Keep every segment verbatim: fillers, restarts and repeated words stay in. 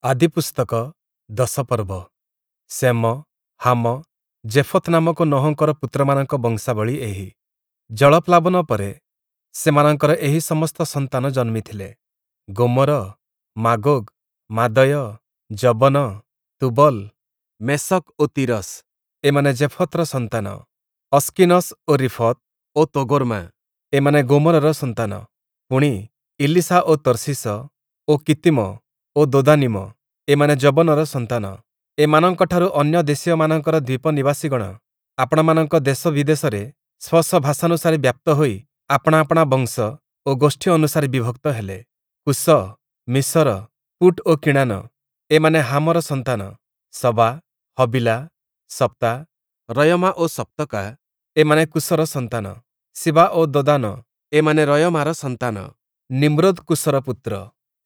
ଆଦିପୁସ୍ତକ ଦଶ ପର୍ବ ଶେମ, ହାମ, ଯେଫତ୍ ନାମକ ନୋହଙ୍କର ପୁତ୍ରମାନଙ୍କ ବଂଶାବଳୀ ଏହି। ଜଳପ୍ଲାବନ ପରେ ସେମାନଙ୍କର ଏହି ସମସ୍ତ ସନ୍ତାନ ଜନ୍ମିଥିଲେ। ଗୋମର, ମାଗୋଗ, ମାଦୟ, ଯବନ, ତୁବଲ, ମେଶକ୍ ଓ ତିରସ ଏମାନେ ଯେଫତର ସନ୍ତାନ। ଅସ୍କିନସ୍ ଓ ରୀଫତ୍ ଓ ତୋଗର୍ମା ଏମାନେ ଗୋମରର ସନ୍ତାନ। ପୁଣି, ଇଲୀଶା ଓ ତର୍ଶୀଶ ଓ କିତ୍ତୀମ ଓ ଦୋଦାନୀମ ଏମାନେ ଯବନର ସନ୍ତାନ। ଏମାନଙ୍କଠାରୁ ଅନ୍ୟ ଦେଶୀୟମାନଙ୍କର ଦ୍ୱୀପ ନିବାସୀଗଣ ଆପଣାମାନଙ୍କ ଦେଶ ବିଦେଶରେ ସ୍ୱ ସ୍ୱ ଭାଷାନୁସାରେ ବ୍ୟାପ୍ତ ହୋଇ ଆପଣା ଆପଣା ବଂଶ ଓ ଗୋଷ୍ଠୀ ଅନୁସାରେ ବିଭକ୍ତ ହେଲେ। କୂଶ, ମିସର, ପୂଟ୍ ଓ କିଣାନ ଏମାନେ ହାମର ସନ୍ତାନ। ସବା, ହବୀଲା, ସପ୍ତା, ରୟମା ଓ ସପ୍ତକା ଏମାନେ କୂଶର ସନ୍ତାନ। ଶିବା ଓ ଦଦାନ ଏମାନେ ରୟମାର ସନ୍ତାନ। ନିମ୍ରୋଦ୍ କୂଶର ପୁତ୍ର।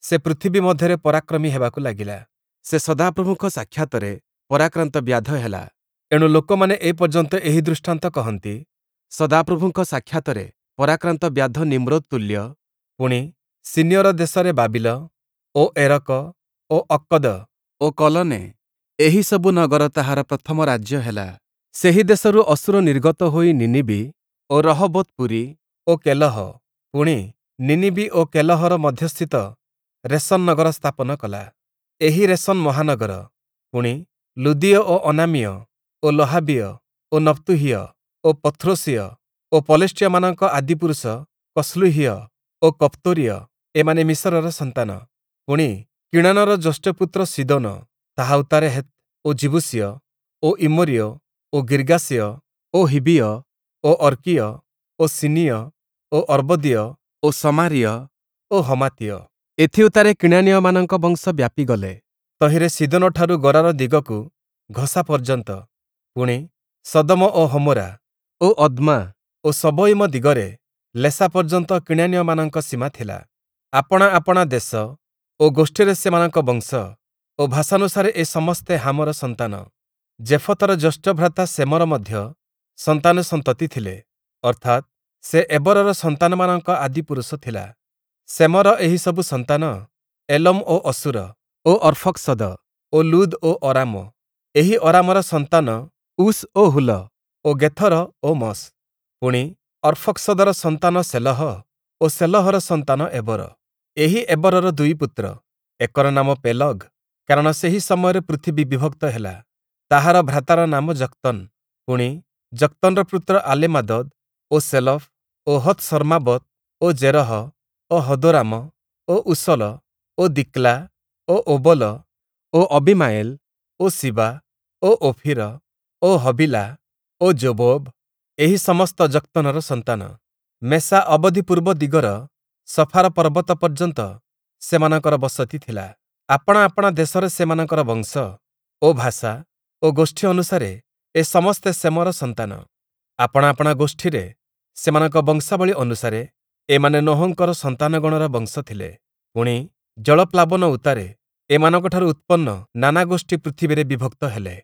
ସେ ପୃଥିବୀ ମଧ୍ୟରେ ପରାକ୍ରମୀ ହେବାକୁ ଲାଗିଲା। ସେ ସଦାପ୍ରଭୁଙ୍କ ସାକ୍ଷାତରେ ପରାକ୍ରାନ୍ତ ବ୍ୟାଧ ହେଲା। ଏଣୁ ଲୋକମାନେ ଏ ପର୍ଯ୍ୟନ୍ତ ଏହି ଦୃଷ୍ଟାନ୍ତ କହନ୍ତି, ସଦାପ୍ରଭୁଙ୍କ ସାକ୍ଷାତରେ ପରାକ୍ରାନ୍ତ ବ୍ୟାଧ ନିମ୍ରୋଦ୍ ତୁଲ୍ୟ। ପୁଣି, ଶିନୀୟର ଦେଶରେ ବାବିଲ ଓ ଏରକ ଓ ଅକ୍କଦ ଓ କଲନେ, ଏହିସବୁ ନଗର ତାହାର ପ୍ରଥମ ରାଜ୍ୟ ହେଲା। ସେହି ଦେଶରୁ ଅଶୂର ନିର୍ଗତ ହୋଇ ନୀନୀବି ଓ ରହୋବୋତ୍-ପୁରୀ ଓ କେଲହ, ପୁଣି, ନୀନୀବି ଓ କେଲହର ମଧ୍ୟସ୍ଥିତ ରେସନ୍ ନଗର ସ୍ଥାପନ କଲା। ଏହି ରେସନ୍ ମହାନଗର। ପୁଣି, ଲୁଦୀୟ ଓ ଅନାମୀୟ ଓ ଲହାବୀୟ ଓ ନପ୍ତୁହୀୟ ଓ ପଥ୍ରୋସୀୟ ଓ ପଲେଷ୍ଟୀୟମାନଙ୍କ ଆଦିପୁରୁଷ କସ୍ଲୁହୀୟ ଓ କପ୍ତୋରୀୟ, ଏମାନେ ମିସରର ସନ୍ତାନ। ପୁଣି, କିଣାନର ଜ୍ୟେଷ୍ଠପୁତ୍ର ସୀଦୋନ, ତାହା ଉତ୍ତାରେ ହେଥ ଓ ଯିବୂଷୀୟ ଓ ଇମୋରୀୟ ଓ ଗିର୍ଗାସୀୟ ଓ ହିବ୍ବୀୟ ଓ ଅର୍କୀୟ ଓ ସିନୀୟ ଓ ଅର୍ବଦୀୟ ଓ ସମାରୀୟ ଓ ହମାତୀୟ। ଏଥିଉତ୍ତାରେ କିଣାନୀୟମାନଙ୍କ ବଂଶ ବ୍ୟାପିଗଲେ, ତହିଁରେ ସୀଦୋନଠାରୁ ଗରାର ଦିଗକୁ ଘସା ପର୍ଯ୍ୟନ୍ତ, ପୁଣି, ସଦୋମ ଓ ହମୋରା ଓ ଅଦ୍ମା ଓ ସବୋୟୀମ ଦିଗରେ ଲେସା ପର୍ଯ୍ୟନ୍ତ କିଣାନୀୟମାନଙ୍କ ସୀମା ଥିଲା। ଆପଣା ଆପଣା ଦେଶ ଓ ଗୋଷ୍ଠୀରେ ସେମାନଙ୍କ ବଂଶ ଓ ଭାଷାନୁସାରେ ଏ ସମସ୍ତେ ହାମର ସନ୍ତାନ। ଯେଫତର ଜ୍ୟେଷ୍ଠଭ୍ରାତା ଶେମର ମଧ୍ୟ ସନ୍ତାନସନ୍ତତି ଥିଲେ, ଅର୍ଥାତ୍, ସେ ଏବରର ସନ୍ତାନମାନଙ୍କ ଆଦିପୁରୁଷ ଥିଲା। ଶେମର ଏହିସବୁ ସନ୍ତାନ ଏଲମ ଓ ଅଶୂର ଓ ଅର୍ଫକଶଦ ଓ ଲୁଦ୍ ଓ ଅରାମ। ଏହି ଅରାମର ସନ୍ତାନ ଉସ୍ ଓ ହୁଲ ଓ ଗେଥର ଓ ମଶ୍। ପୁଣି, ଅର୍ଫକଶଦର ସନ୍ତାନ ଶେଲହ ଓ ଶେଲହର ସନ୍ତାନ ଏବର। ଏହି ଏବରର ଦୁଇ ପୁତ୍ର, ଏକର ନାମ ପେଲଗ୍, କାରଣ ସେହି ସମୟରେ ପୃଥିବୀ ବିଭକ୍ତ ହେଲା। ତାହାର ଭ୍ରାତାର ନାମ ଯକ୍ତନ୍। ପୁଣି, ଯକ୍ତନ୍‌ର ପୁତ୍ର ଆଲମାଦଦ୍ ଓ ଶେଲଫ୍ ଓ ହତ୍‌ସର୍ମାବତ୍ ଓ ଜେରହ ଓ ହଦୋରାମ ଓ ଊସଲ ଓ ଦିକ୍ଲା ଓ ଓବଲ ଓ ଅବୀମାଏଲ ଓ ଶିବା ଓ ଓଫୀର ଓ ହବୀଲା ଓ ଯୋବୋବ, ଏହି ସମସ୍ତ ଯକ୍ତନର ସନ୍ତାନ। ମେଶା ଅବଧି ପୂର୍ବ ଦିଗର ସଫାର ପର୍ବତ ପର୍ଯ୍ୟନ୍ତ ସେମାନଙ୍କର ବସତି ଥିଲା। ଆପଣା ଆପଣା ଦେଶରେ ସେମାନଙ୍କର ବଂଶ ଓ ଭାଷା ଓ ଗୋଷ୍ଠୀ ଅନୁସାରେ ଏ ସମସ୍ତେ ଶେମର ସନ୍ତାନ। ଆପଣା ଆପଣା ଗୋଷ୍ଠୀରେ ସେମାନଙ୍କ ବଂଶାବଳୀ ଅନୁସାରେ ଏମାନେ ନୋହଙ୍କର ସନ୍ତାନଗଣର ବଂଶ ଥିଲେ। ପୁଣି, ଜଳପ୍ଲାବନ ଉତ୍ତାରେ ଏମାନଙ୍କଠାରୁ ଉତ୍ପନ୍ନ ନାନା ଗୋଷ୍ଠୀ ପୃଥିବୀରେ ବିଭକ୍ତ ହେଲେ।